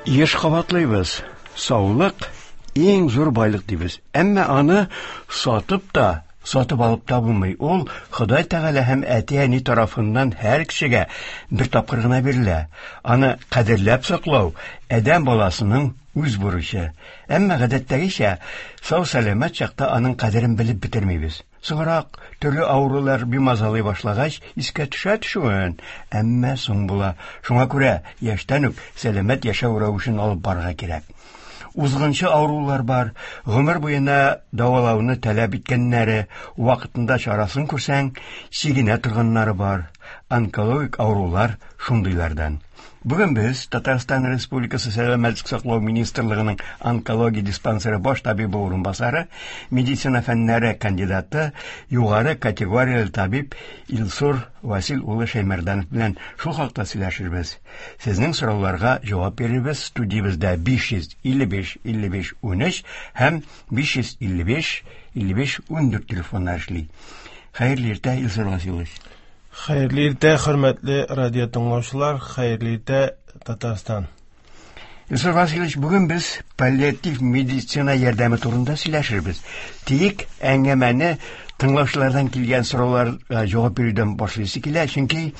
Еш кабатлыйбыз, саулык иң зур байлык дибез. Әмма аны сатып та, сатып алып та булмый. Ул Ходай Тәгалә һәм әти-әни тарафыннан һәр кешегә бер тапкыр гына бирелә. Аны кадерләп саклау адәм баласының үз бурычы. Әмма гадәттәгечә, сау-сәламәт чакта аның кадерен белеп бетермибез. Соңрак, төрле авырулар бимазалый башлагач, искә төшә төшүен, әмма соң була. Шуңа күрә яшьтән үк сәламәт яшәү рәвешен алып барырга кирәк. Узгынчы авырулар бар, гомер буена дәвалауны таләп иткәннәре, вакытында чарасын күрсәң, чигенә торганнары бар. Онкологик авырулар шундыйлардан. Бүген без Татарстан Республикасы Сәламәтлек саклау министрлыгының онкология диспансеры баш табибы урынбасары, медицина фәннәре кандидаты, югары категорияле табиб Илсур Васил улы Шәймәрданов белән шул хакта сөйләшербез. Сезнең сорауларга җавап бирербез. Студиябездә 555 55 13 һәм 555 55 14 телефоннар эшли. Хәерле иртә, Илсур Василович. Хәерле иртә, хөрмәтле радио тыңлаучылар, хәерле иртә, Татарстан. Илсур Васильевич, бүген без паллиатив медицина ярдәме турында сөйләшербез. Тик әңгәмәне тыңлаучылардан килгән сорауларга җавап бирүдән башлыйсы килә, чөнки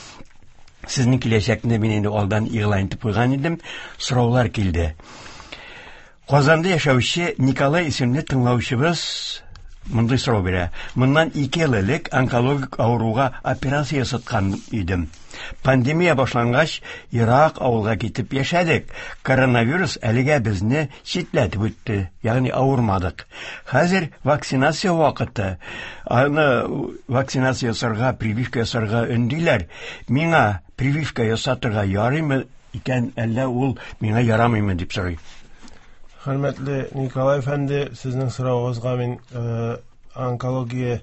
сезнең киләчәкне мин инде алдан игълан итеп куйган идем, сораулар килде. Казанда яшәүче Николай исемле тыңлаучыбыз мондый сорау бирә. Моннан 2 ел элек онкологик авыруга операция ясаткан идем. Пандемия башлангач, ерак авылга китеп яшәдек. Коронавирус әлегә безне читләтеп үтте, ягъни авырмадык. Хәзер вакцинация вакыты. Аны вакцинация ясарга, прививка ясарга өндиләр. Миңа прививка ясатырга ярыймы икән, әллә ул миңа ярамыймы дип сорый. Хөрмәтле Николай әфәнде, сезнең соравыгызга мин онкология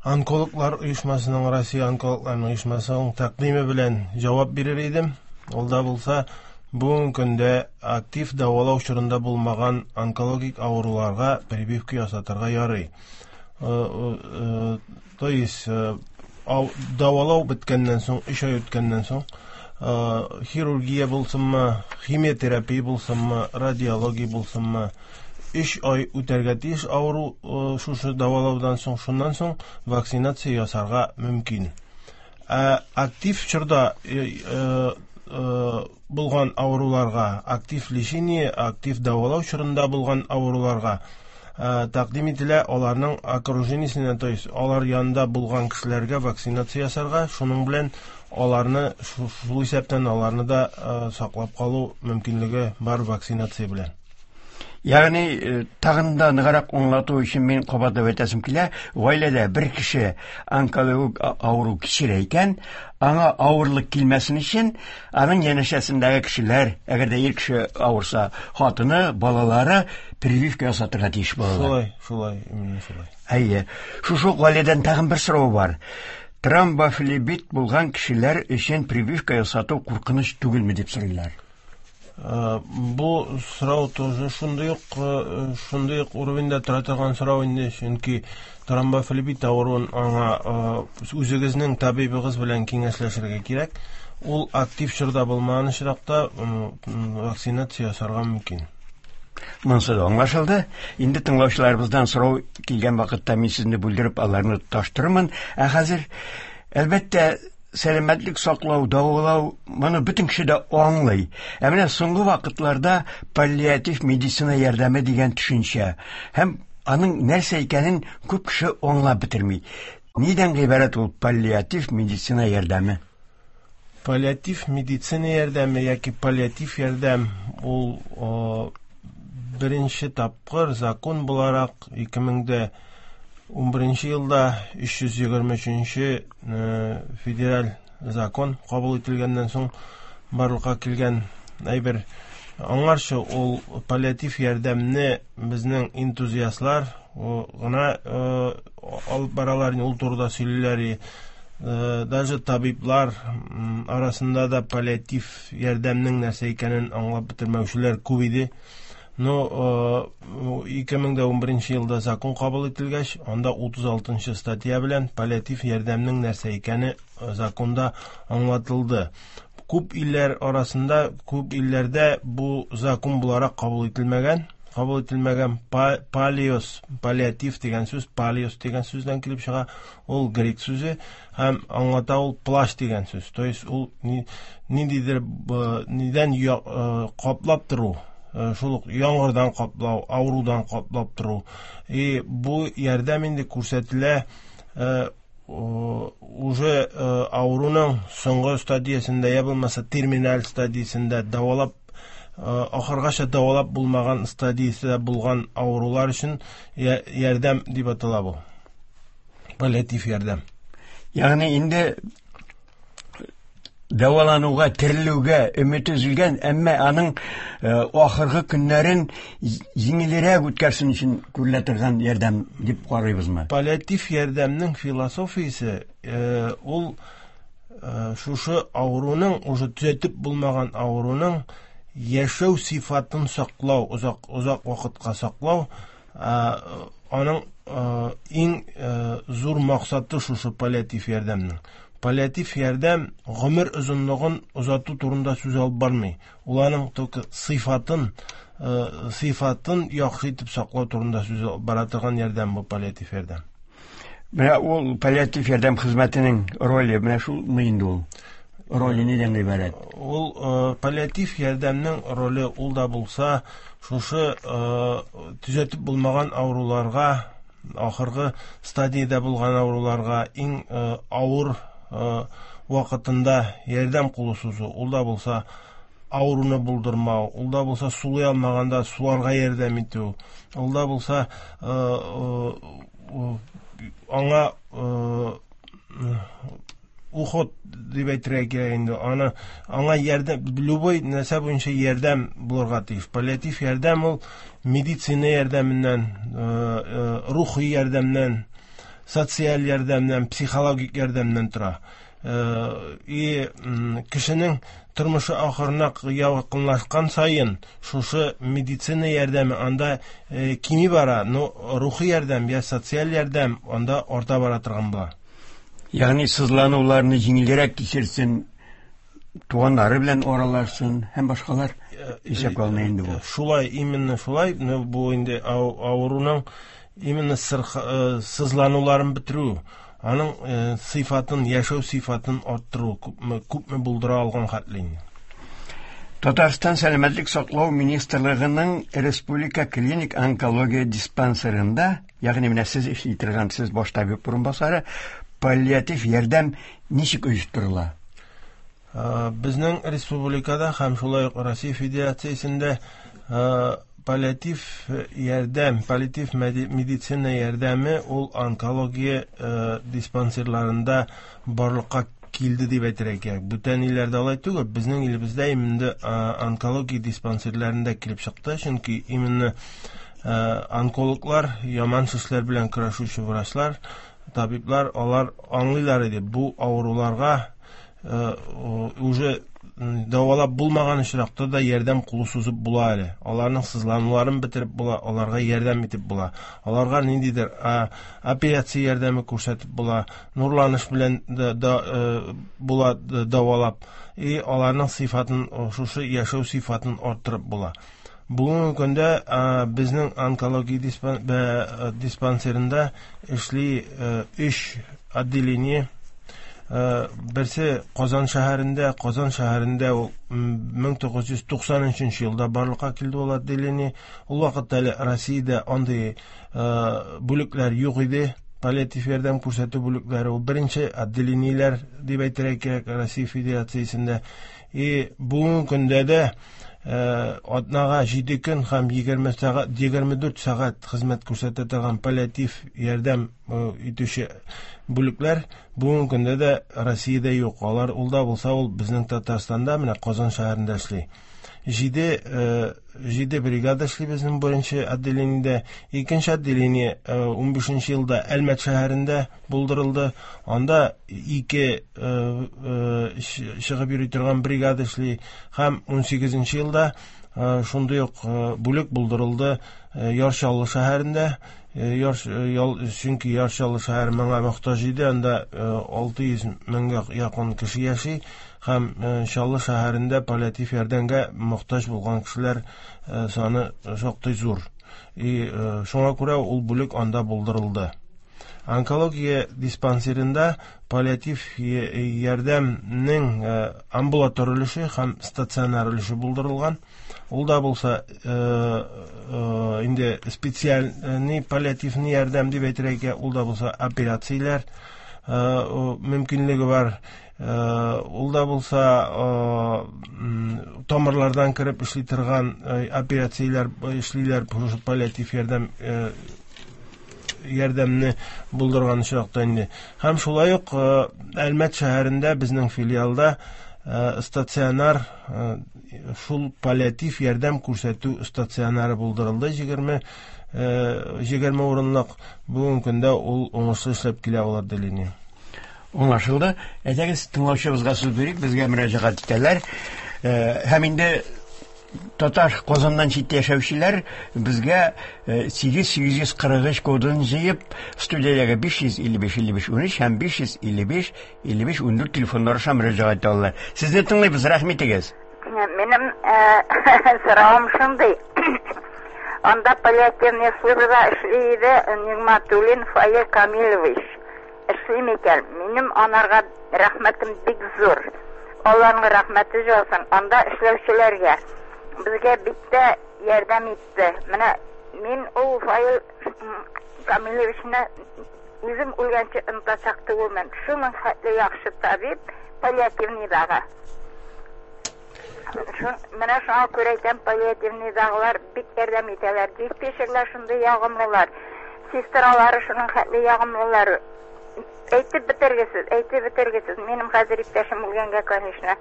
онкологлар оешмасының, Россия онкологларының оешмасының тәкъдиме белән җавап бирер идем. Ул да булса, бүгенге көндә актив дәвалау чорында булмаган онкологик авыруларга прививка ясатырга ярый. То есть дәвалау беткәннән соң, 3 ай үткәннән соң, хирургия булсынмы, химиотерапия булсынмы, радиология булсынмы, 3 ай үтәргә тиеш авыру шушы дәвалаудан соң, шуннан соң вакцинация ясарга мөмкин. Ә актив чорда булган авыруларга, актив лечение, актив дәвалау чорында булган авыруларга тәкъдим ителә аларның окружениесенә, то есть алар янында булган кешеләргә вакцинация ясарга, шуның белән аларны, шул исәптән аларны да саклап калу мөмкинлеге бар вакцинация белән. Ягъни, тагын да ныграк аңлату өчен мин кабатлап әйтәсем килә, гаиләдә бер кеше онкологик авыру кичерә икән, аңа авырлык килмәсен өчен, аның янәшәсендәге кешеләр, әгәр дә ир кеше авырса, хатыны, балалары прививка ясатырга тиеш булалар. Шулай, шулай, именно шулай. Әйе. Шушы ук гаиләдән тагын бер сорау бар. Тромбофлебит булган кешеләр өчен прививка ясату куркыныч түгелме дип сорыйлар. Бу сорау тоже шундый ук уровеньда тора торган сорау инде, чөнки тромбофлебит авыруын аңа үзегезнең табибыгыз белән киңәшләшергә кирәк. Ул актив чорда булмаган очракта вакцинация ясарга мөмкин. Монысы да аңлашылды. Инде тыңлаучыларыбыздан сорау килгән вакытта мин сезне бүлдереп аларны тоташтырырмын. Ә хәзер, әлбәттә, сәламәтлек саклау, дәвалау моны бөтен кеше дә аңлый. Ә менә соңгы вакытларда паллиатив медицина ярдәме дигән төшенчә һәм аның нәрсә икәнен күп кеше аңлап бетерми. Нидән гыйбарәт ул паллиатив медицина ярдәме? Паллиатив медицина ярдәме яки паллиатив ярдәм ул беренче тапкыр закон буларак 2011 елда 323 федераль закон кабул ителгәннән соң барлыкка килгән әйбер. Аңарчы ул паллиатив ярдәмне безнең энтузиастлар гына алып баралар, ул турыда сөйлиләр. Даже табиблар арасында да паллиатив ярдәмнең нәрсә икәнен аңлап бетермәүчеләр күп иде. Но 2011 елда закон кабул ителгәч, анда 36 статья белән паллиатив ярдәмнең нәрсә икәне законда аңлатылды. Күп илләр арасында, күп илләрдә бу закон буларак кабул ителмәгән. Кабул ителмәгән палиос, паллиатив дигән сүз палиос дигән сүздән килеп чыга. Ул грек сүзе һәм аңлата ул плащ дигән сүз. То есть ул ниндидер нидән каплап тору, шул ук яңгырдан каплау, авырудан каплап тору. И бу ярдәм инде күрсәтелә уже авыруның соңгы стадиясендә, я булмаса терминаль стадиясендә, дәвалап ахыргача дәвалап булмаган стадиясендә булган авырулар өчен ярдәм дип атала бу. Паллиатив ярдәм. Ягъни инде дәвалануга, терелүгә өмет өзелгән, әмма аның ахыргы көннәрен җиңелрәк үткәрсен өчен күрелә торган ярдәм дип карыйбызмы? Паллиатив ярдәмнең философиясе ул шушы авыруның, уже төзәтеп булмаган авыруның яшәү сыйфатын саклау, озак вакытка саклау, аның иң зур максаты шушы паллиатив ярдәмнең. Паллиатив ярдәм гомер озынлыгын озату турында сүз алып бармый. Ул аның только сыйфатын яхшы итеп саклау турында сүз алып бара торган ярдәм бу паллиатив ярдәм. Менә ул паллиатив ярдәм хезмәтенең роле, менә шулмы инде ул? Роле нидән гыйбарәт? Ул паллиатив ярдәмнең роле ул да булса, шушы төзәтеп булмаган авыруларга, ахыргы стадиядә булган авыруларга иң авыр вакытында ярдәм кулы сузу, ул да булса авыруны булдырмау, ул да булса сулый алмаганда суларга ярдәм итү, ул да булса аңа уход дип әйтергә кирәк инде. Аны аңа ярдәм, любой нәрсә буенча ярдәм булырга тиеш. Паллиатив ярдәм ул медицина ярдәменнән, рухи ярдәмнән, социаль ярдәмнән, психологик ярдәмнән тора. И кешенең тормышы ахырына якынлашкан саен шушы медицина ярдәме анда кими бара, но рухи ярдәм я социаль ярдәм анда арта бара торган була. Ягъни сызлануларны җиңелрәк кичерсен, туганнары белән аралашсын һәм башкалар исәпкә алына инде бу. Шулай, именно шулай, бу инде авыруның именно сызлануларын бетерү, аның сыйфатын, яшәү сыйфатын арттыру, күпме булдыра алган хәтле инде. Татарстан Сәламәтлек саклау министрлыгының Республика клиник онкология диспансерында, ягъни менә сез эшли торган, сез баш табиб урынбасары, паллиатив ярдәм ничек оештырыла? Безнең республикада һәм шулай ук Россия Федерациясендә паллиатив ярдәм, паллиатив медицина ярдәме ул онкология диспансерларында барлыкка килде дип әйтергә кирәк. Бүтән илләрдә алай түгел, безнең илебездә именно онкология диспансерларында килеп чыкты, чөнки именно онкологлар, яман шешләр белән көрәшүче врачлар, табиблар, алар аңлыйлар иде, бу авыруларга уже дәвалап булмаган очракта да ярдәм кулы сузып була әле. Аларның сызлануларын бетереп була, аларга ярдәм итеп була. Аларга ниндидер операция ярдәме күрсәтеп була, нурланыш белән була дәвалап, и аларның сыйфатын, шушы яшәү сыйфатын арттырып була. Бүгенге көндә безнең онкология диспансерында эшли 3 отделение. Берсе Казан шәһәрендә, Казан шәһәрендә ул 1993 елда барлыкка килде ул отделение. Ул вакытта әле Россиядә андый бүлекләр юк иде. Паллиатив ярдәм күрсәтү бүлекләре ул беренче отделениеләр дип әйтергә кирәк Россия Федерациясендә. И бүгенге көндә дә атнага 7 көн һәм 24 сәгать хезмәт күрсәтә торган паллиатив ярдәм итүче бүлекләр бүгенге көндә дә Россиядә юк. Алар ул да булса ул безнең Татарстанда, менә Казан шәһәрендә эшли. 7 бригада эшли безнең беренче отделениедә. Икенче отделение 15 елда Әлмәт шәһәрендә булдырылды. Анда 2 чыгып йөри торган бригада эшли. Һәм 18 елда шундый ук бүлек булдырылды Яр Чаллы шәһәрендә. Чөнки Яр Чаллы шәһәре моңа мохтаҗ иде, анда 600 меңгә якын кеше яши һәм Чаллы шәһәрендә паллиатив ярдәмгә мохтаҗ булган кешеләр саны шактый зур. И шуңа күрә ул бүлек анда булдырылды. Онкология диспансерында паллиатив ярдәмнең амбулатор өлеше һәм стационар өлеше булдырылган. Ул да булса инде специальный паллиативный ярдәм дип әйтергә кирәк, ул да булса операцияләр мөмкинлеге бар. Ул да булса тамырлардан кереп эшли торган операцияләр эшлиләр, паллиатив ярдәмне булдырган очракта инде. Һәм шулай ук Әлмәт шәһәрендә безнең филиалда стационар шул паллиатив ярдәм күрсәтү стационары булдырылды. 20 урынлык. Бүгенге көндә ул уңышлы эшләп килә ул отделение. Аңлашылды. Әйдәгез, тыңлаучыбызга сүз бирик, безгә мөрәҗәгать итәләр. Һәм инде татар Казаннан читтә яшәүчеләр безгә 8843 кодын җыеп, студиядәге 555 55 13 һәм 555 55 14 телефоннары аша мөрәҗәгать итә алалар. Сезне тыңлыйбыз, рәхмәт итегез. Минем соравым шундый. Анда паллиативный службада эшли иде Нигматуллин Фаил Камилович. Эшли микән? Минем анарга рәхмәтем бик зур. Алланың рәхмәте яусын. Анда эшләүчеләргә безгә бик тә ярдәм итте. Менә мин ул Фаил Камиловичны үзем үлгәнче онытачак түгелмен. Шуның хәтле яхшы табиб паллиативныйдагы. Менә шуңа күрә әйтәм, паллиативныйдагылар бик ярдәм итәләр. Диспетчерлар шундый ягымлылар, сестралары шуның хәтле ягымлылар. Әйтеп бетергесез, әйтеп бетергесез. Минем хәзер иптәшем үлгәнгә, конечно,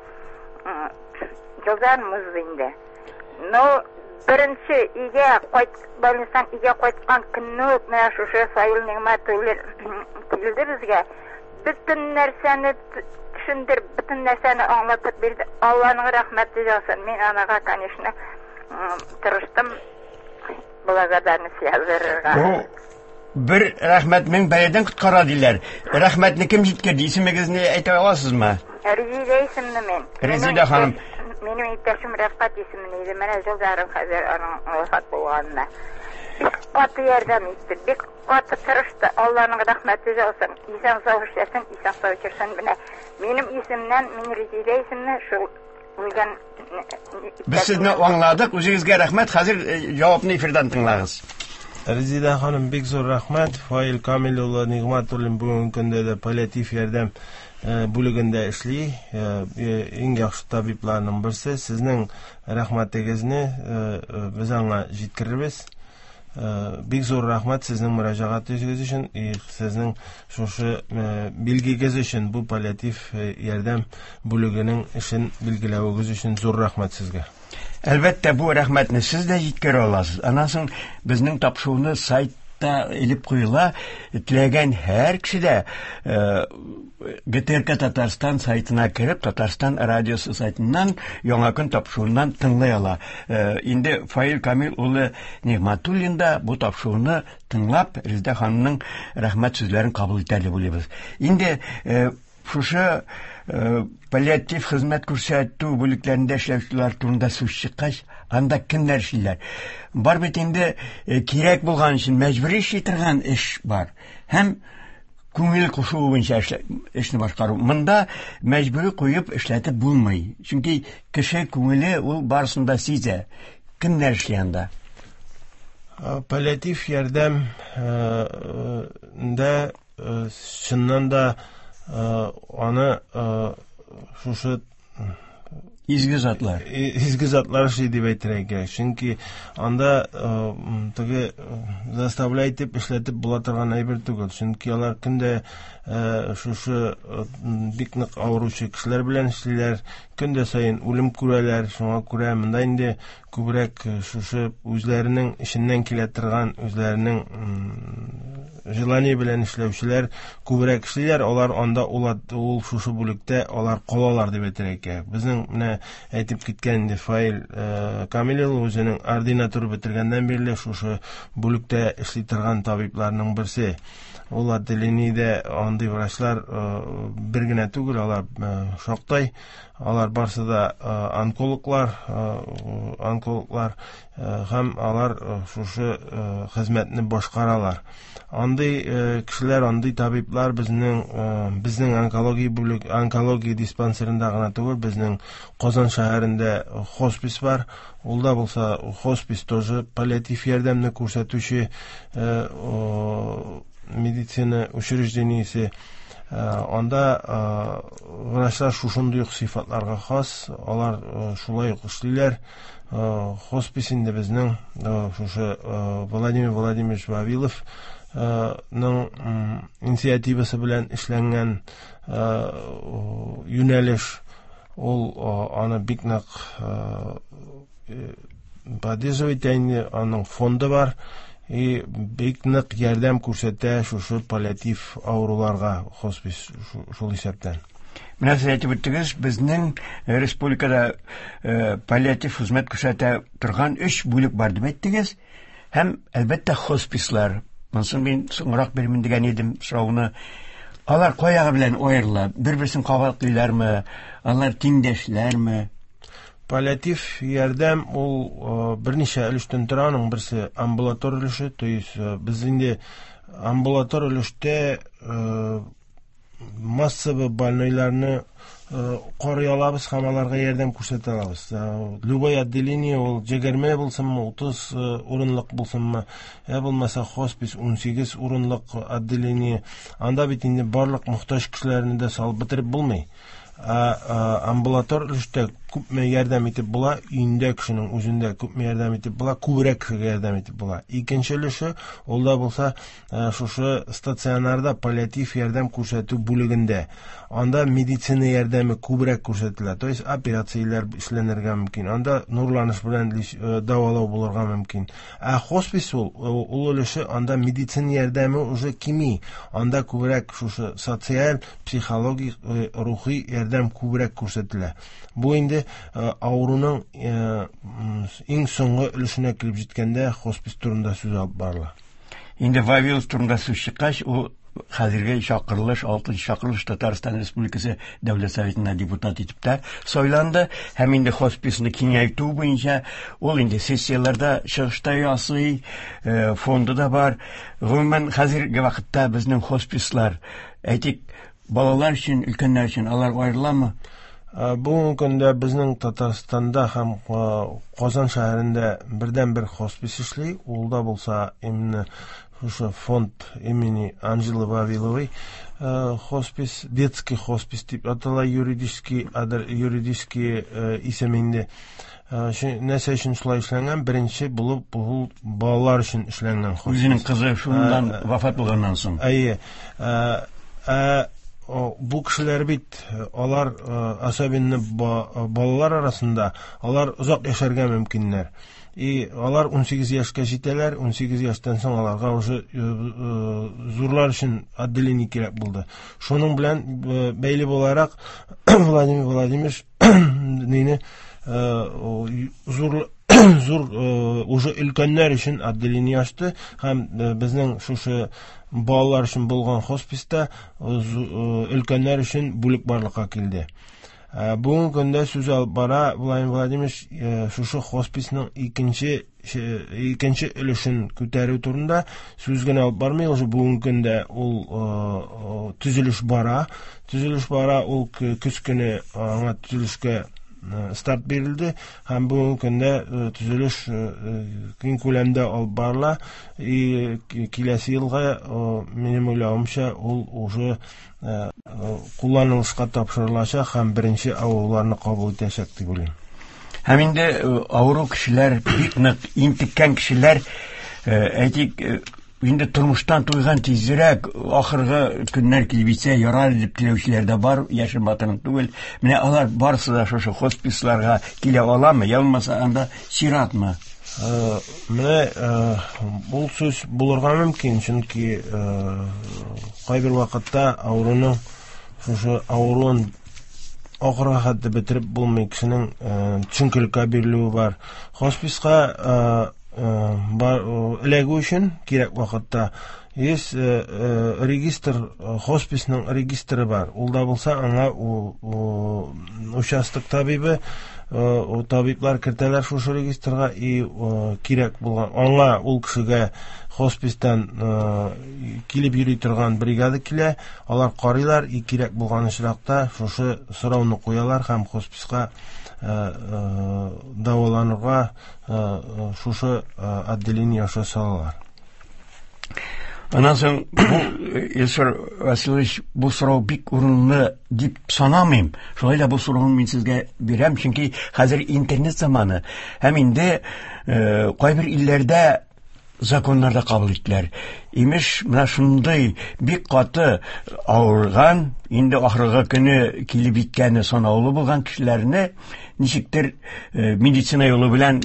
елдан узды инде. Но беренче өйгә кайт, больницадан өйгә кайткан көнне үк менә шушы Фаил Нигъмәтуллин килде безгә. Бөтен нәрсәне төшендереп, бөтен нәрсәне аңлатып бирде. Алланың рәхмәте яусын. Мин анага, конечно, тырыштым благодарность яздырырга. Бу бер рәхмәт мең бәладән коткара диләр. Рәхмәтне кем җиткерде? Исемегезне әйтә аласызмы? Резида исемле мин. Резида ханым. Минем иптәшем Рәфкать исемле иде. Менә ел ярым хәзер аның вафат булганына. Бик каты ярдәм итте, бик каты тырышты. Алланың рәхмәте яусын. Исән сау эшләсен, исән сау йөрсен. Менә минем исемнән, мин Резида исемле, шул үлгән. Без сезне аңладык. Үзегезгә рәхмәт. Хәзер җавапны эфирдан тыңлагыз. Резида ханым, бик зур рәхмәт. Фаил Камил улы Нигъмәтуллин бүгенге көндә дә паллиатив ярдәм бүлегендә эшли. Иң яхшы табибларның берсе. Сезнең рәхмәтегезне без аңа җиткерербез. Бик зур рәхмәт сезнең мөрәҗәгатегез өчен, сезнең шушы билгегез өчен, бу паллиатив ярдәм бүлегенең эшен билгеләвегез өчен зур рәхмәт сезгә. Әлбәттә, бу рәхмәтне сез дә җиткерә аласыз. Аннан соң безнең тапшыруны сайтта элеп куела. Теләгән һәр кеше дә ГТРК Татарстан сайтына кереп, Татарстан радиосы сайтыннан Яңа көн тапшыруыннан тыңлый ала. Инде Фаил Камил улы Нигъмәтуллин да бу тапшыруны тыңлап, Резеда ханымның рәхмәт сүзләрен кабул итәр дип уйлыйбыз. Инде шушы паллиатив хезмәт күрсәтү бүлекләрендә эшләүчеләр турында сүз чыккач, анда кемнәр эшлиләр? Бар бит инде кирәк булган өчен мәҗбүри эшли торган эш бар. Һәм күңел кушуы буенча эшне башкару. Монда мәҗбүри куеп эшләтеп булмый. Чөнки кеше күңеле ул барысын да сизә. Кемнәр эшли анда? Паллиатив ярдәм дә чыннан да аны шушы изге затлар. Изге затлар эшли дип әйтергә кирәк. Чөнки анда теге заставлять итеп эшләтеп була торган әйбер түгел. Чөнки алар көндә шушы бик нык авыручы кешеләр белән эшлиләр, көндә саен үлем күрәләр. Шуңа күрә монда инде күбрәк шушы үзләренең эченнән килә торган, үзләренең Желание белән эшләүчеләр күбрәк эшлиләр, алар анда ул шушы бүлектә алар калалар дип әйтергә кирәк. Безнең менә әйтеп киткән инде Фаил Камил улы үзенең ординатура бетергәннән бирле шушы бүлектә эшли торган табибларның берсе. Ул отделениедә андый врачлар бер генә түгел, алар шактай. Алар барсы да онкологлар, һәм алар шушы хезмәтне башкаралар. Андый кешеләр, андый табиблар безнең онкология бүлек, онкология диспансерында гына түгел, безнең Казан шәһәрендә хоспис бар. Ул да булса хоспис тоже паллиатив ярдәмне күрсәтүче медицина учреждениесе. Анда врачлар шушындый ук сыйфатларга хас, алар шулай ук эшлиләр. Хоспис инде безнең шушы Владимир Владимирович Вавилов ның инициативасы белән эшләнгән юнәлеш. Ул аны бик нык поддерживать инде, аның фонды бар. И бик нык ярдәм күрсәтә шушы паллиатив авыруларга хоспис шул исәптән. Менә сез әйтеп үттегез, безнең республикада паллиатив хезмәт күрсәтә торган 3 бүлек бар дип әйттегез. Һәм, әлбәттә, хоспислар. Монысын мин соңрак бирмен дигән идем сорауны. Алар каягы белән аерыла? Бер-берсен кабатлыйлармы? Алар тиңдәшләрме? Паллиатив ярдәм ул берничә өлештән тора. Аның берсе амбулатор өлеше, то есть без инде амбулатор өлештә массовый больнойларны карый алабыз һәм аларга ярдәм күрсәтә алабыз. Любой отделение ул 20 булсынмы, 30 урынлык булсынмы, я булмаса хоспис 18 урынлык отделение. Анда бит инде барлык мохтаҗ кешеләрне дә салып бетереп булмый. Амбулатор өлештә күпме ярдәм итеп була, өендә кешенең үзендә күпме ярдәм итеп була, күбрәк кешегә ярдәм итеп була. Икенче өлеше, ул да булса, шушы стационарда паллиатив ярдәм күрсәтү бүлегендә. Анда медицина ярдәме күбрәк күрсәтелә, то есть операцияләр эшләнергә мөмкин, анда нурланыш белән дәвалау булырга мөмкин. Ә хоспис ул өлеше, анда медицина ярдәме уже кими, анда күбрәк шушы социаль, психологик, рухи ярдәм күбрәк күрсәтелә. Бу инде авыруның иң соңгы өлешенә килеп җиткәндә хоспис турында сүз алып барыла. Инде Вавилов турында сүз чыккач, ул хәзерге чакырылыш, 6нчы чакырылыш Татарстан Республикасы Дәүләт Советына депутат итеп тә сайланды. Һәм инде хосписны киңәйтү буенча ул инде сессияләрдә чыгышта ясый, фонды да бар. Гомумән, хәзерге вакытта безнең хоспислар, әйтик, балалар өчен, өлкәннәр өчен алар аерыламы? Бүгенге көндә безнең Татарстанда һәм Казан шәһәрендә бердән-бер хоспис эшли. Ул да булса именно шушы фонд имени Анжелы Вавиловой, хоспис, детский хоспис дип атала, юридический исем инде. Нәрсә өчен шулай эшләнгән? Беренче булып ул балалар өчен эшләнгән хоспис. Үзенең кызы шуннан вафат булганнан соң. Әйе. Бу кешеләр бит, алар, особенно балалар арасында, алар озак яшәргә мөмкиннәр. И алар 18 яшькә җитәләр, 18 яшьтән соң аларга уже зурлар өчен отделение кирәк булды. Шуның белән бәйле буларак Владимир Владимирович мине зур, зур уже өлкәннәр өчен отделение ачты һәм безнең шушы балалар өчен булган хосписта өлкәннәр өчен бүлек барлыкка килде. Бүгенге көндә сүз алып бара Владимир Владимирович шушы хосписның икенче өлешен күтәрү турында сүз генә алып бармый, уже бүгенге көндә ул төзелеш бара. Төзелеш бара, ул көз көне аңа төзелешкә старт бирелде һәм бүгенге көндә төзелеш киң күләмдә алып барыла. И киләсе елга, минем уйлавымча, ул уже кулланылышка тапшырылачак һәм беренче авыруларны кабул итәчәк дип уйлыйм. Һәм инде авыру кешеләр, бик нык интеккән кешеләр, әйтик, инде тормыштан туйган тизрәк ахыргы көннәр килеп җитсә ярар дип теләүчеләр дә бар, яшен батырын түгел. Менә алар барысы да шушы хосписларга килә аламы, я булмаса анда чиратмы? Менә ул сүз булырга мөмкин, чөнки кайбер вакытта авыруның шушы авыруын ахырга хәтле бетереп булмый, кешенең төшенкелеккә бирелүе бар. Хосписка эләгү өчен кирәк вакытта есть регистр, хосписның регистры бар. Ул да булса аңа участок табибы, табиблар кертәләр шушы регистрга, и кирәк булган аңа ул кешегә хоспистан килеп йөри торган бригада килә, алар карыйлар, и кирәк булган очракта шушы сорауны куялар һәм хосписка дәваланырга шушы отделение аша салалар. Аннан соң бу, Илсур Васильевич, бу сорау бик урынлы дип санамыйм. Шулай да бу сорауны мин сезгә бирәм, чөнки хәзер интернет заманы һәм инде кайбер илләрдә законнар да кабул иттеләр. Имеш, менә шундый бик каты авырган, инде ахыргы көне килеп җиткәне санаулы булган кешеләрне ничектер медицина юлы белән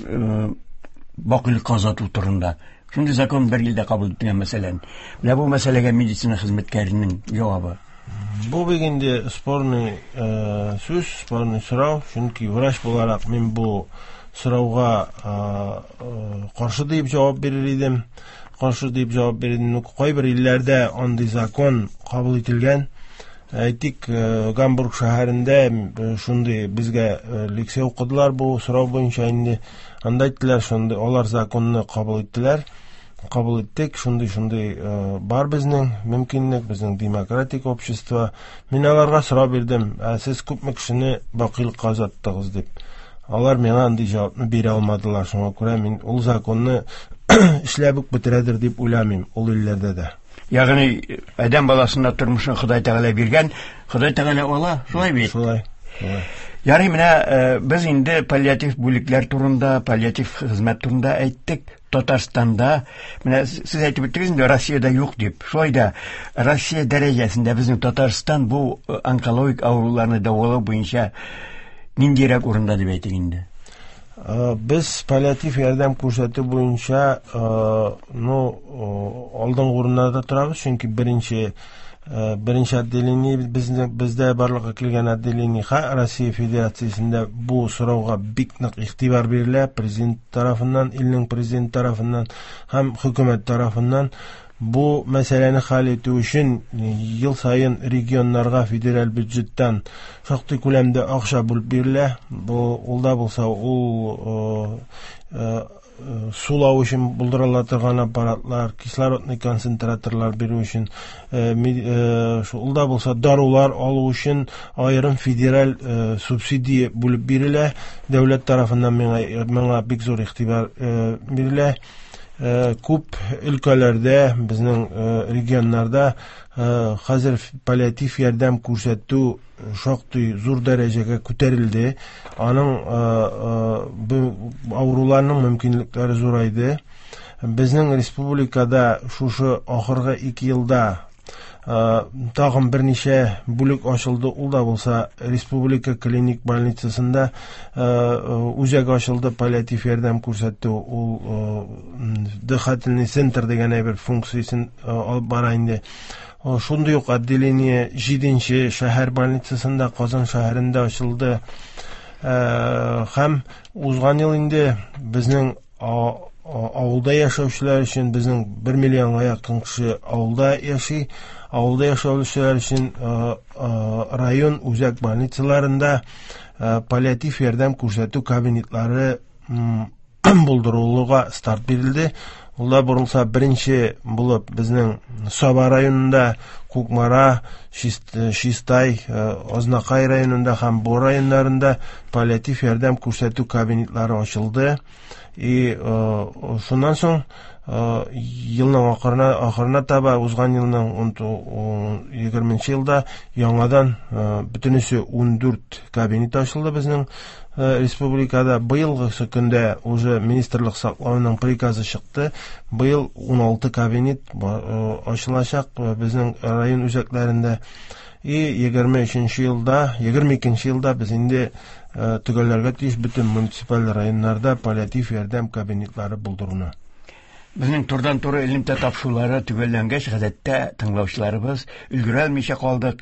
бакыйлыкка озату турында. Шундый закон бер илдә кабул ителгән, мәсәлән. Менә бу мәсьәләгә медицина хезмәткәренең җавабы. Бу бик инде спорный сүз, спорный сорау, чөнки врач буларак мин бу сорауга каршы дип җавап бирер идем. Каршы дип җавап бирер идем. Кайбер илләрдә андый закон кабул ителгән. Әйтик, Гамбург шәһәрендә шундый безгә лекция укыдылар бу сорау буенча инде. Анда әйттеләр, шундый алар законны кабул иттеләр. Кабул иттек, шундый-шундый бар безнең мөмкинлек, безнең демократик общество. Мин аларга сорау бирдем, ә сез күпме кешене бакыйлыкка озаттыгыз дип. Алар миңа андый җавапны бирә алмадылар. Шуңа күрә мин ул законны эшләп үк бетерәдер дип уйламыйм ул илләрдә дә. Ягъни адәм баласына тормышын Ходай Тәгалә биргән, Ходай Тәгалә ала, шулай бит? Шулай. Шулай. Ярый, менә без инде паллиатив бүлекләр турында, паллиатив хезмәт турында әйттек. Татарстанда, менә сез әйтеп үттегез инде, Россиядә юк дип. Шулай да Россия дәрәҗәсендә безнең Татарстан бу онкологик авыруларны дәвалау буенча ниндирәк урында дип әйтик инде? Без паллиатив ярдәм күрсәтү буенча, ну, алдынгы урыннарда торабыз, чөнки беренче отделение бездә барлыкка килгән отделение Россия Федерациясендә бу сорауга бик нык игътибар бирелә, президент тарафыннан, илнең президент тарафыннан һәм хөкүмәт тарафыннан. Бу мәсьәләне хәл итү өчен ел саен регионнарга федераль бюджеттан шактый күләмдә акча бүлеп бирелә. Бу ул да булса ул сулау өчен булдырыла торган аппаратлар, кислородный концентраторлар бирү өчен, ул да булса дарулар алу өчен аерым федераль субсидия бүлеп бирелә. Дәүләт тарафыннан миңа бик зур игътибар бирелә. Күп өлкәләрдә, безнең регионнарда хәзер паллиатив ярдәм күрсәтү шактый зур дәрәҗәгә күтәрелде. Аның авыруларның мөмкинлекләре зурайды. Безнең республикада шушы ахыргы 2 елда тагын берничә бүлек ачылды. Ул да булса республика клиник больницасында үзәк ачылды, паллиатив ярдәм күрсәтү. Ул дыхательный центр дигән әйбер функциясен алып бара инде. Шундый ук отделение 7-нче шәһәр больницасында, Казан шәһәрендә ачылды. Һәм узган ел инде безнең авылда яшәүчеләр өчен, безнең 1 миллионга якын кеше авылда яши, авылда яшәүчеләр өчен район үзәк больницаларында паллиатив ярдәм күрсәтү кабинетлары булдырылуга старт бирелде. Ул да борылса беренче булып безнең Саба районында, Кукмара, Чистай, Азнакай районында һәм Бор районнарында паллиатив ярдәм күрсәтү кабинетлары ачылды. И шуннан соң елның ахырына таба, узган елның егерменче елда яңадан бөтенесе 14 кабинет ачылды безнең республикада. Быелгысы көндә уже министрлык саклауның приказы чыкты. Быел 16 кабинет ачылачак безнең район үзәкләрендә. И 23 елда, 22 елда без инде төгәлләргә тиеш бөтен муниципаль районнарда паллиатив ярдәм кабинетлары булдыруны. Безнең турыдан-туры элемтә тапшырулары төгәлләнгәч, гадәттә тыңлаучыларыбыз өлгерә алмыйча калдык,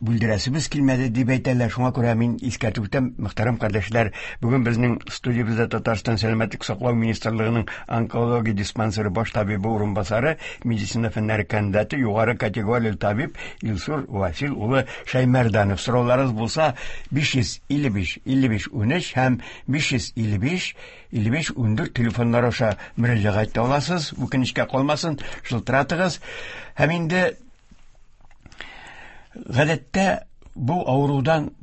бүлдерәсебез килмәде дип әйтәләр. Шуңа күрә мин искәртеп үтәм, мөхтәрәм кардәшләр, бүген безнең студиябездә Татарстан Сәламәтлек саклау министрлыгының онкология диспансеры баш табибы урынбасары, медицина фәннәре кандидаты, югары категорияле табиб Илсур Васил улы Шәймәрданов. Сорауларыгыз булса, 555 55 13 һәм 555 55 14 телефоннар аша мөрәҗәгать итә аласыз. Үкенечкә калмасын, шылтыратыгыз. Һәм инде гадәттә бу авырудан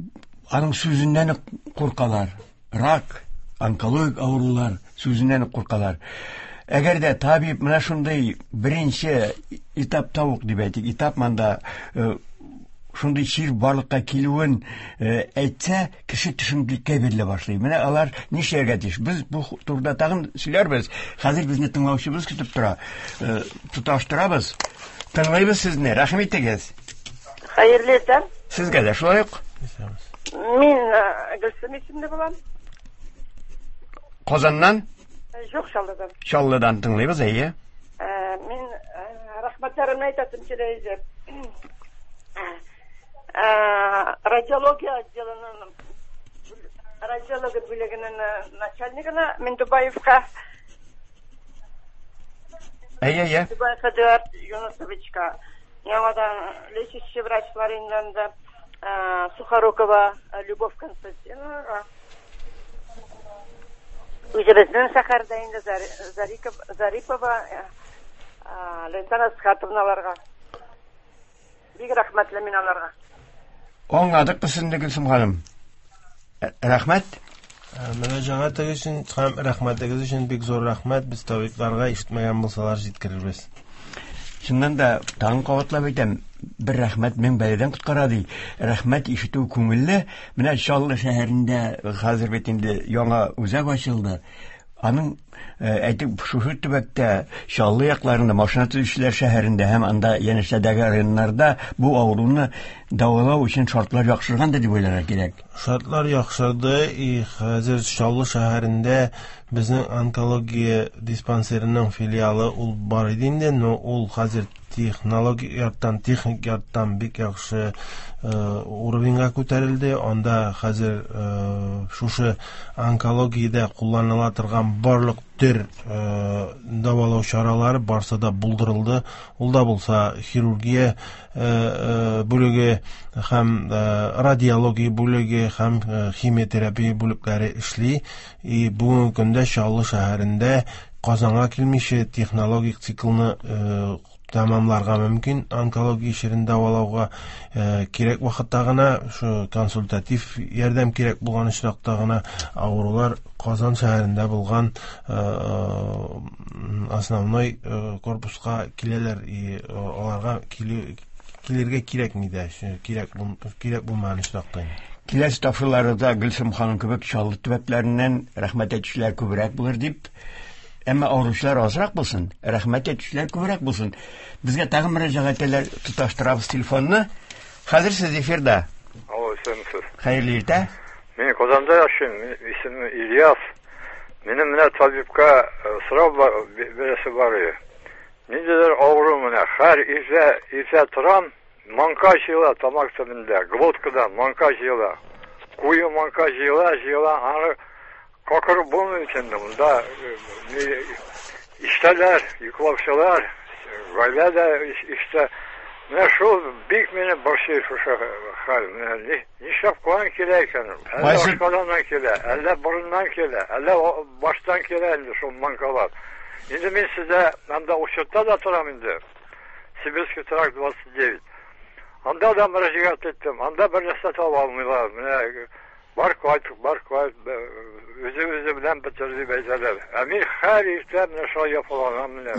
аның сүзеннән үк куркалар. Рак, онкологик авырулар сүзеннән үк куркалар. Әгәр дә табиб менә шундый беренче этапта ук дип әйтик, этап монда шундый чир барлыкка килүен әйтсә, кеше төшенкелеккә бирелә башлый. Менә алар нишләргә тиеш? Без бу турыда тагын сөйләрбез. Хәзер безне тыңлаучыбыз көтеп тора. Тоташтырабыз. Тыңлыйбыз сезне. Рәхим итегез. Хәерле иртә. Сезгә дә шулай ук. Мин Гөлсем исемле булам. Казаннан? Юк, Чаллыдан. Чаллыдан тыңлыйбыз, әйе. Мин рәхмәтләремне әйтәсем килә иде. Радиология отделының радиология бүлегенең начальнигына Миндубаевка. Әйе, әйе. Миндубаев Эдуард Юнусовичка. Яңадан лечащий врачлар инде Сухорукова Любовь Константиновна. Үзебезнең шәһәрдә инде Зариков, Зарипова, Лентана Асхатовналарга. Бик рәхмәтле мин аларга. Аңладык без сезне, Гөлсем ханым. Рәхмәт. Мөрәҗәгатегез өчен һәм рәхмәтегез өчен бик зур рәхмәт. Без табибларга ишетмәгән булсалар җиткерербез. Чыннан да, тагын кабатлап әйтәм, бер рәхмәт мең бәладән коткара ди. Рәхмәт ишетү күңелле. Менә Чаллы шәһәрендә хәзер бит инде яңа үзәк ачылды. Аның әйтик, шушы төбәктә, Чаллы якларында, машина төзүчеләр шәһәрендә һәм анда янәшәдәге районнарда бу авыруны дәвалау өчен шартлар яхшырган да дип уйларга кирәк. Шартлар яхшырды, и хәзер Чаллы шәһәрендә безнең онкология диспансерының филиалы ул бар иде инде, но ул хәзер технологик яктан, техник яктан бик яхшы уровеньга күтәрелде. Анда хәзер шушы онкологиядә кулланыла торган барлык төр дәвалау чаралары барсы да булдырылды. Ул да булса хирургия бүлеге һәм радиология бүлеге һәм химиотерапия бүлекләре эшли. И бүгенге көндә Чаллы шәһәрендә Казанга килмичә технологик циклны тәмамларга мөмкин. Онкология чирен дәвалауга кирәк вакытта гына, шу консультатив ярдәм кирәк булган очракта гына авырулар Казан шәһәрендә булган основной корпуска киләләр, и аларга килергә кирәкми дә, кирәк булмаган очракта. Киләсе тапшыруларда Гөлсем ханым кебек Чаллы төбәкләреннән рәхмәт әйтүчеләр күбрәк булыр дип, әмма авыручылар азрак булсын, рәхмәт әйтүчеләр күбрәк булсын. Безгә тагын мөрәҗәгать итәләр, тоташтырабыз телефонны. Хәзер сез эфирда. Алло, исәнмесез. Хәерле иртә. Мин Казанда яшим, исемем Ильяс. Минем менә табибка сорау бирәсе бар иде. Ниндидер авыру менә, һәр иртә торам, манка җыела тамак төбендә, глоткада манка җыела. Куе манка җыела, җыела, аны какырып булмый инде монда. Иштәләр, йоклаучылар, гаилә дә иштә. Менә шул бик мине борчый шушы хәл. Менә нишләп каян килә икән? Әллә ашказаннан килә, әллә борыннан килә, әллә баштан килә инде шул манкалар. Инде мин сездә анда учетта да торам инде. Сибирский тракт 29. Анда да мөрәҗәгать иттем. Анда бер нәрсә таба алмыйлар. Менә бар кайт, бар кайт, үзе-үзе белән бетер дип әйтәләр. Ә мин һәр иртә менә шулай яфаланам менә.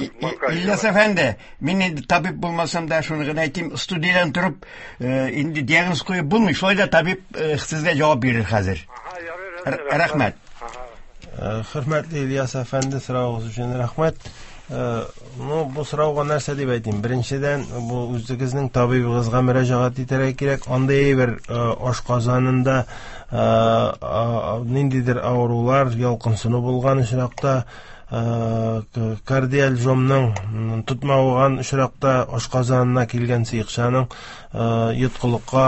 Ильяс әфәнде, мин инде табиб булмасам да шуны гына әйтим, студиядән торып, инде диагноз куеп булмый, шулай да табиб сезгә җавап бирер хәзер. Рәхмәт. Хөрмәтле Ильяс әфәнде, соравыгыз өчен рәхмәт. Ну, бу сорауга нәрсә дип әйтим? Беренчедән, бу үзегезнең табибыгызга мөрәҗәгать итәргә кирәк. Андый әйбер ашказанында ниндидер авырулар, ялкынсыну булган очракта, кардиаль жомның тотмаган очракта ашказанына килгән сыекчаның йоткылыкка,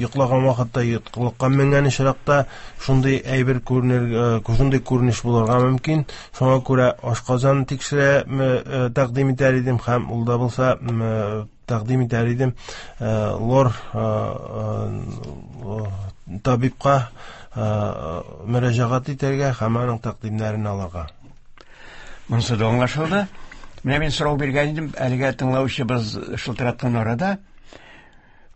йоклаган вакытта йоткылыкка менгән очракта шундый әйбер күренер, шундый күренеш булырга мөмкин. Шуңа күрә ашказан тикшерә тәкъдим итәр идем һәм ул да булса тәкъдим итәр идем лор табибка мөрәҗәгать итәргә һәм аның тәкъдимнәрен алырга. Монысы да аңлашылды. Менә мин сорау биргән идем, әлегә тыңлаучыбыз шылтыраткан арада.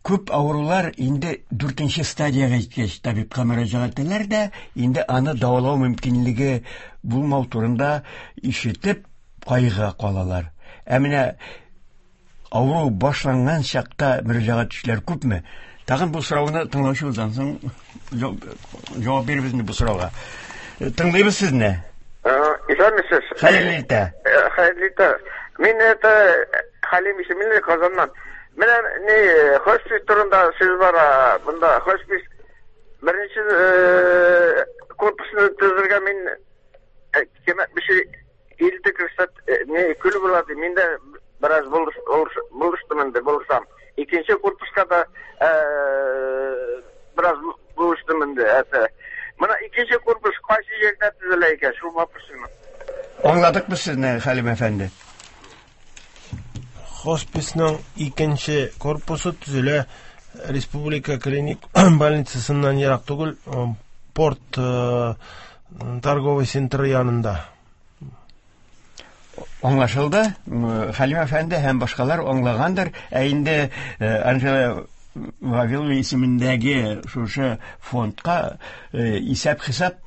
Күп авырулар инде дүртенче стадиягә җиткәч табибка мөрәҗәгать итәләр дә, инде аны дәвалау мөмкинлеге булмау турында ишетеп кайгыга калалар. Ә менә авыру башланган чакта мөрәҗәгать итүчеләр күпме? Тагын бу сорауны тыңлаучыбыздан соң җавап бирербез инде бу сорауга. Тыңлыйбыз сезне. Исәнмесез. Хәерле иртә. Хәерле иртә. Мин это Хәлим исемле Казаннан. Менә ни хоспис турында сүз бара. Монда хоспис беренче корпусны төзергә мин кемә Илде күрсәт, не көл була ди. Мин дә бераз булыштым инде, булышам. Икенче корпуска да бераз булыштым инде. Это. Менә икенче корпус кайсы җирдә төзелә икән, шул вопросны. Аңладык без сезне, Хәлим әфәнде. Хосписның икенче корпусы төзелә Республика клиник больницасыннан ерак түгел, порт торговый центры янында. Аңлашылды. Хәлим әфәнде һәм башкалар аңлагандыр. Ә инде Анжела Вавилова исемендәге шушы фондка исәп-хисап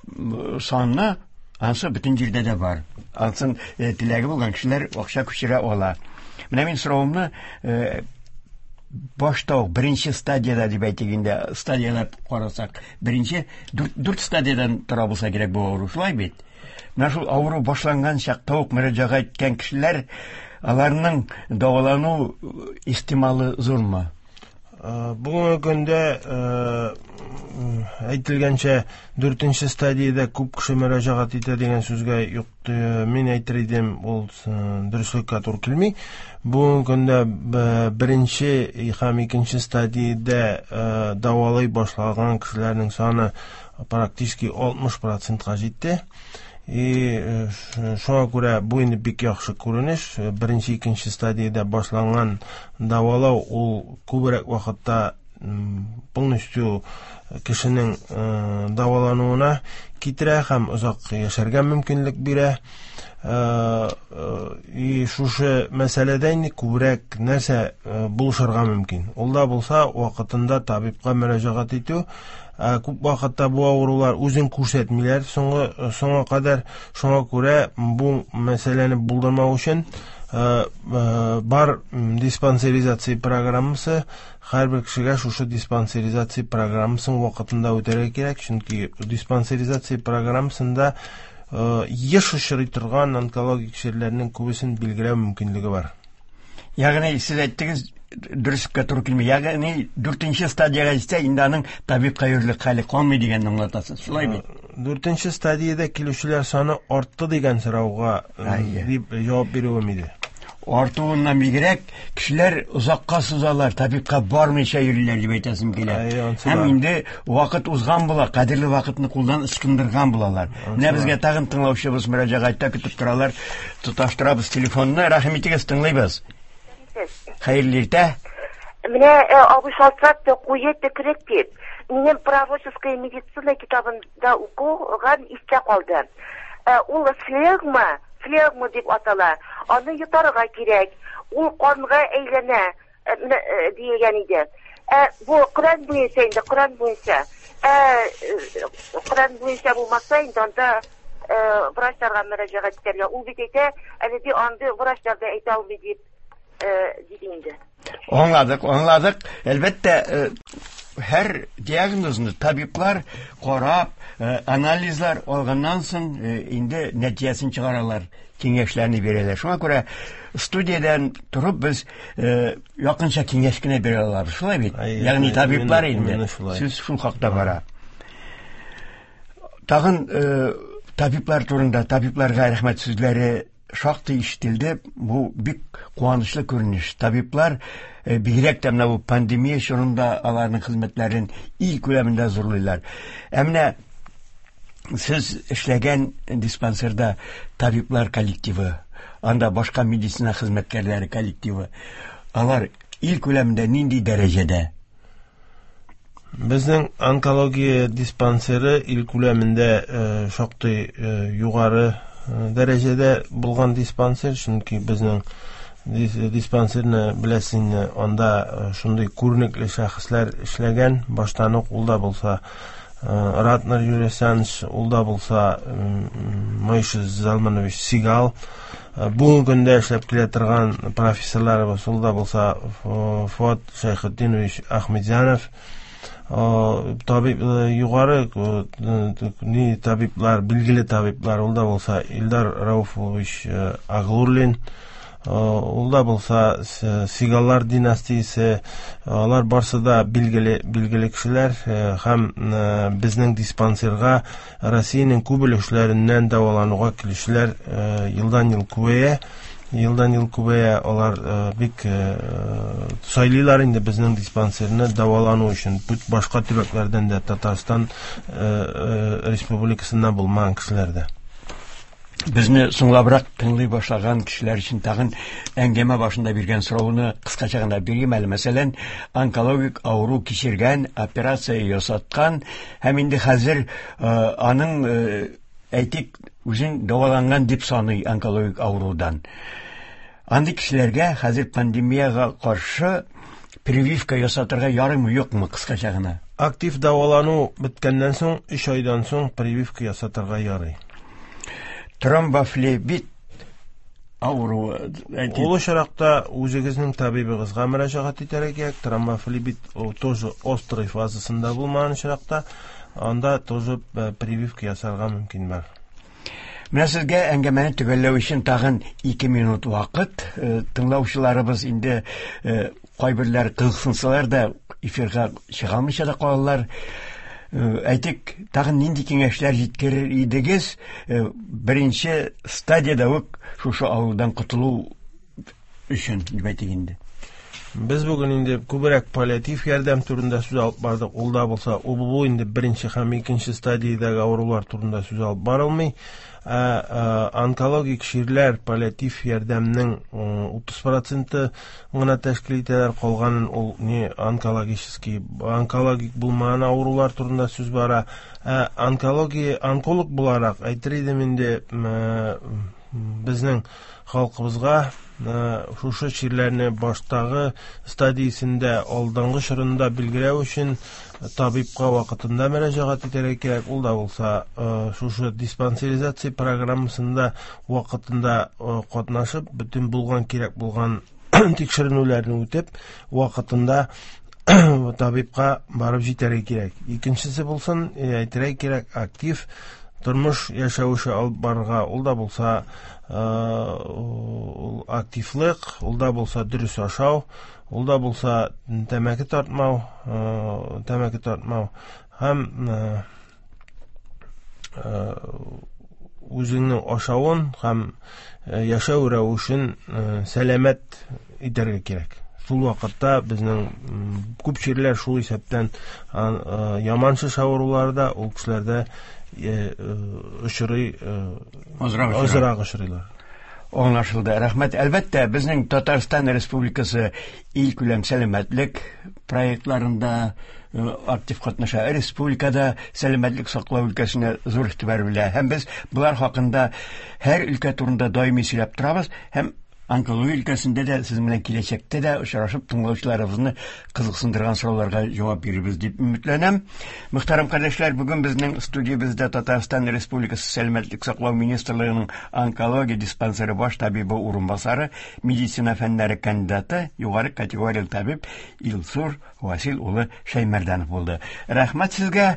санны ансы бөтен җирдә дә бар. Ансын теләге булган кешеләр акча күчерә ала. Менә мин соравымны башта ук беренче стадияда дип әйтик инде, стадияләп карасак, беренче дүрт стадиядан тора булса кирәк бу авыру, шулай бит? Менә шул авыру башланган чакта ук мөрәҗәгать иткән кешеләр, аларның дәвалану ихтималы зурмы? Бүгенге көндә әйтелгәнчә, дүртенче стадиядә күп кеше мөрәҗәгать итә дигән сүзгә юк, мин әйтер идем, ул дөреслеккә туры килми. Бүгенге көндә беренче һәм икенче стадиядә дәвалый башлаган кешеләрнең саны практически 60%-ка җитте. И шуңа күрә бу инде бик яхшы күренеш. Беренче, икенче стадиядә башланган дәвалау ул күбрәк вакытта полностью кешенең дәвалануына китерә һәм озак яшәргә мөмкинлек бирә. И шушы мәсьәләдә инде күбрәк нәрсә булышырга мөмкин. Ул да булса вакытында табибка мөрәҗәгать итү. Күп вакытта бу авырулар үзен күрсәтмиләр соңга кадәр. Шуңа күрә бу мәсьәләне булдырмау өчен бар диспансеризация программасы. Һәрбер кешегә шушы диспансеризация программасын вакытында үтәргә кирәк, чөнки диспансеризация программасында еш очрый торган онкологик чирләрнең күбесен билгеләү мөмкинлеге бар. Ягъни сез әйттегез, дөреслеккә туры килми. Ягъни дүртенче стадиягә җитсә, инде аның табибка йөрерлек хәле калмый дигәнне аңлатасыз. Шулай бит? Дүртенче стадиядә килүчеләр саны артты дигән сорауга дип җавап бирүем иде. Артуыннан бигрәк, кешеләр озакка сузалар, табибка бармыйча йөриләр дип әйтәсем килә. Һәм инде вакыт узган була, кадерле вакытны кулдан ычкындырган булалар. Менә безгә тагын тыңлаучыбыз мөрәҗәгатьтә көтеп торалар. Тоташтырабыз телефонны. Рәхим итегез, тыңлыйбыз. Хәерле иртә. Менә абый шалтыратты, куе төкерек дип. Минем пророческая медицина китабында укыган истә калды. Ул флегма, флегма дип атала. Аны йотарга кирәк. Ул канга әйләнә, диелгән иде. Бу Коръән буенча инде, Коръән буенча. Коръән буенча булмаса инде анда врачларга мөрәҗәгать итәргә. Ул бит әйтә, әле ди андый врачлар да әйтә алмый дип, диде инде. Аңладык, аңладык. Әлбәттә, Һәр диагнозны табиблар карап, анализлар алганнан соң инде нәтиҗәсен чыгаралар, киңәшләрне бирәләр. Шуңа күрә студиядән торып без якынча киңәш кенә бирә алабыз. Шулай бит? Ягъни табиблар инде. Сүз шул хакта бара. Тагын табиблар турында, табибларга рәхмәт сүзләре шактый ишетелде. Бу бик куанычлы күренеш. Табиблар бигрәк тә менә бу пандемия чорында аларның хезмәтләрен ил күләмендә зурлыйлар. Ә менә сез эшләгән диспансерда табиблар коллективы, анда башка медицина хезмәткәрләре коллективы, алар ил күләмендә нинди дәрәҗәдә? Безнең онкология диспансеры ил күләмендә шактый югары дәрәҗәдә булган диспансер, чөнки безнең диспансерны беләсез инде, анда шундый күренекле шәхесләр эшләгән, баштан ук ул да булса Ратнер Юрий Александрович, ул да булса Мойша Залманович Сигал, бүгенге көндә эшләп килә торган профессорларыбыз, ул да булса Фуат Шәйхетдинович Ахмедзянов, табиб, югары ни табиблар, билгеле табиблар, ул да булса Илдар Рауфович Аглурлин, ул да булса Сигаллар династиясе, алар барсы да билгеле, билгеле кешеләр һәм безнең диспансерга Россиянең күп өлешләреннән дәвалануга килүчеләр елдан-ел күбәя. Елдан-ел күбәя, алар бик сайлыйлар инде безнең диспансерны дәвалану өчен. Башка төбәкләрдән дә, Татарстан Республикасыннан булмаган кешеләр дә. Безне соңлабрак тыңлый башлаган кешеләр өчен тагын әңгәмә башында биргән сорауны кыскача гына бирим әле. Мәсәлән, онкологик авыру кичергән, операция ясаткан һәм инде хәзер аның, әйтик, үзен дәваланган дип саный онкологик авырудан. Андый кешеләргә хәзер пандемиягә каршы прививка ясатырга ярыймы, юкмы, кыскача гына? Актив дәвалану беткәннән соң, 3 айдан соң прививка ясатырга ярый. Тромбофлебит авыруы, әйтик. Ул очракта үзегезнең табибыгызга мөрәҗәгать итәргә кирәк. Тромбофлебит ул тоже острый фазасында булмаган очракта, анда тоже прививка ясарга мөмкин бар. Менә сезгә әңгәмәне төгәлләү өчен тагын 2 минут вакыт. Тыңлаучыларыбыз инде кайберләр кызыксынсалар да эфирга чыга алмыйча да калалар. Әйтик, тагын нинди киңәшләр җиткерер идегез? Беренче стадияда үк шушы авырудан котылу өчен, дип әйтик инде. Без бүген инде күбрәк паллиатив ярдәм турында сүз алып бардык. Ул да булса, ул бу инде беренче һәм икенче стадиядәге авырулар турында сүз алып барылмый. Онкологик чирләр паллиатив ярдәмнең 30% гына тәшкил итәләр, калганын ул не онкологический, онкологик булмаган авырулар турында сүз бара. Онкология, онколог буларак әйтер идем инде, безнең халкыбызга шушы чирләрне баштагы стадиясендә, алдынгы чорында билгеләү өчен табибка вакытында мөрәҗәгать итәргә кирәк. Ул да булса, шушы диспансеризация программасында вакытында катнашып, бөтен булган кирәк булган тикшеренүләрне үтеп, вакытында табибка барып җитәргә кирәк. Икенчесе булсын, әйтергә кирәк, актив тормыш яшәвеше алып барырга, ул да булса, ул активлык, ул да булса дөрес ашау, ул да булса тәмәке тартмау, тәмәке тартмау һәм үзеңнең ашавын һәм яшәү рәвешен сәламәт итәргә кирәк. Шул вакытта безнең күп чирләр, шул исәптән яман шеш авырулары да ул кешеләрдә очрый, азрак очрыйлар. Аңлашылды. Рәхмәт. Әлбәттә, безнең Татарстан Республикасы илкүләм сәламәтлек проектларында актив катнаша. Республикада сәламәтлек саклау өлкәсенә зур игътибар бирелә. Һәм без болар хакында һәр өлкә турында даими сөйләп торабыз һәм Онкология өлкәсендә дә сезнең белән киләчәктә дә очрашып тыңлаучыларыбызны кызыксындырган сорауларга җавап бирербез дип өметләнәм. Мөхтәрәм кардәшләр, бүген безнең студиябездә Татарстан Республикасы Сәламәтлек саклау министрлыгының онкология диспансеры баш табибы урынбасары, медицина фәннәре кандидаты, югары категорияле табиб Илсур Васил улы Шәймәрдәнов булды. Рәхмәт сезгә.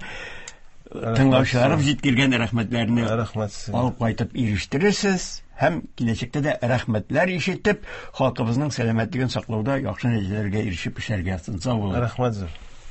Тыңлаучыларыбыз җиткергән рәхмәтләрне Рәхмәт сезгә. алып кайтып ирештерерсез һәм киләчәктә дә рәхмәтләр ишетеп, халкыбызның сәламәтлеген саклауда яхшы нәтиҗәләргә ирешеп эшләргә язсын. Сау булыгыз. Рәхмәт зур.